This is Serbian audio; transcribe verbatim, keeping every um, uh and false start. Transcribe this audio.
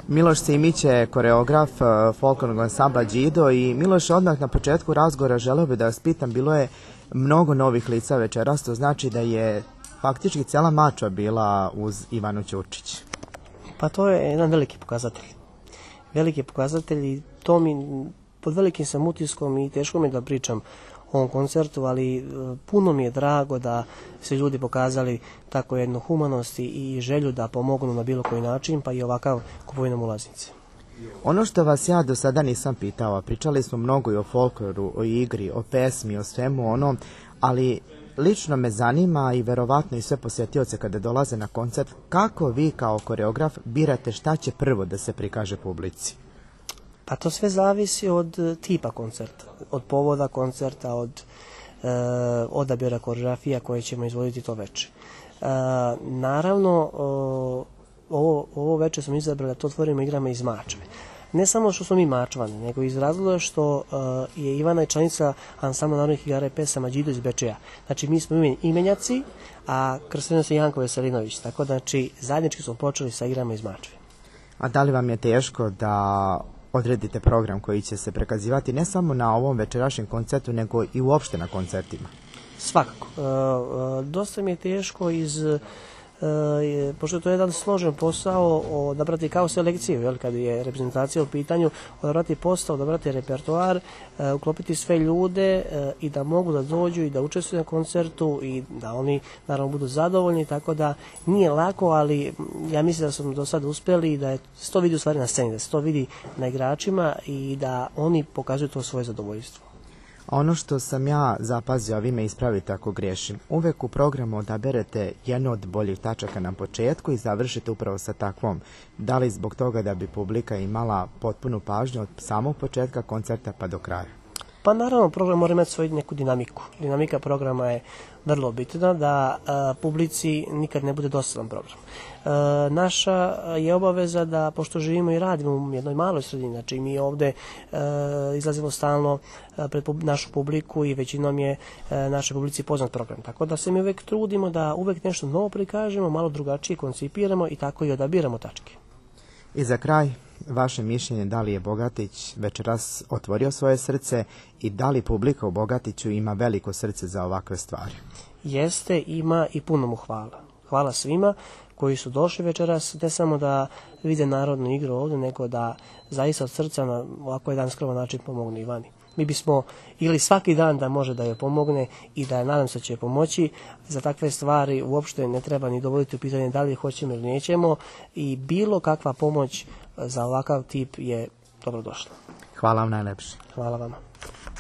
Miloš Simić je koreograf folklornog ansambla Đido i Miloš, odmah na početku razgovora želeo bi da vas pitam, bilo je mnogo novih lica večeras, to znači da je faktički cela mačva bila uz Ivanu Ćurčić. Pa to je jedan veliki pokazatelj. Veliki pokazatelj i to mi, pod velikim sam utiskom i teško mi da pričam o ovom koncertu, ali puno mi je drago da se ljudi pokazali tako jednu humanost i želju da pomognu na bilo koji način, pa i ovakav kupovinom ulaznice. Ono što vas ja do sada nisam pitao, a pričali smo mnogo i o folkloru, o igri, o pesmi, o svemu onom, ali lično me zanima i verovatno i sve posjetioce kada dolaze na koncert, kako vi kao koreograf birate šta će prvo da se prikaže publici? Pa to sve zavisi od tipa koncerta, od povoda koncerta, od e, odabira koreografija koje ćemo izvoditi to veče. E, naravno, o, ovo, ovo veče smo izabrali da to otvorimo igrama iz Mačve. Ne samo što smo mi Mačvani, nego iz razloga što uh, je Ivana i članica ansambla narodnih igara i pesama Đido iz Bečeja. Znači, mi smo imenjaci, a krsteno se Janko Veselinović. Tako da, znači, zajednički smo počeli sa igrama iz Mačve. A da li vam je teško da odredite program koji će se prikazivati ne samo na ovom večerašnjem koncertu, nego i uopšte na koncertima? Svakako. Uh, uh, dosta mi je teško iz... E, pošto to je jedan složen posao odabrati kao selekciju, jel, kad je reprezentacija u pitanju, odabrati posao, odabrati repertoar, e, uklopiti sve ljude e, i da mogu da dođu i da učestvuju na koncertu i da oni naravno budu zadovoljni, tako da nije lako, ali ja mislim da smo do sada uspeli i da je, se to vidi u stvari na sceni, da se to vidi na igračima i da oni pokazuju to svoje zadovoljstvo. Ono što sam ja zapazio, a vi me ispravite ako griješim, uvek u programu odaberete jednu od boljih tačaka na početku i završite upravo sa takvom. Da li zbog toga da bi publika imala potpunu pažnju od samog početka koncerta pa do kraja? Pa naravno, program mora imati svoju neku dinamiku. Dinamika programa je vrlo bitna, da a, publici nikad ne bude dosadan program. A, naša je obaveza da, pošto živimo i radimo u jednoj maloj sredini, znači mi ovde a, izlazimo stalno a, pred pub, našu publiku i većinom je a, našoj publici poznat program. Tako da se mi uvek trudimo da uvek nešto novo prikažemo, malo drugačije koncipiramo i tako i odabiramo tačke. I za kraj, vaše mišljenje da li je Bogatić večeras otvorio svoje srce i da li publika u Bogatiću ima veliko srce za ovakve stvari? Jeste, ima i puno mu hvala. Hvala svima koji su došli večeras, ne samo da vide narodnu igru ovdje, nego da zaista od srca na ovako jedan skroman način pomogne Ivani. Mi bismo ili svaki dan da može da joj pomogne i da nadam se će joj pomoći. Za takve stvari uopšte ne treba ni dovoditi u pitanje da li hoćemo ili nećemo i bilo kakva pomoć za ovakav tip je dobrodošla. Hvala vam najlepše. Hvala vama.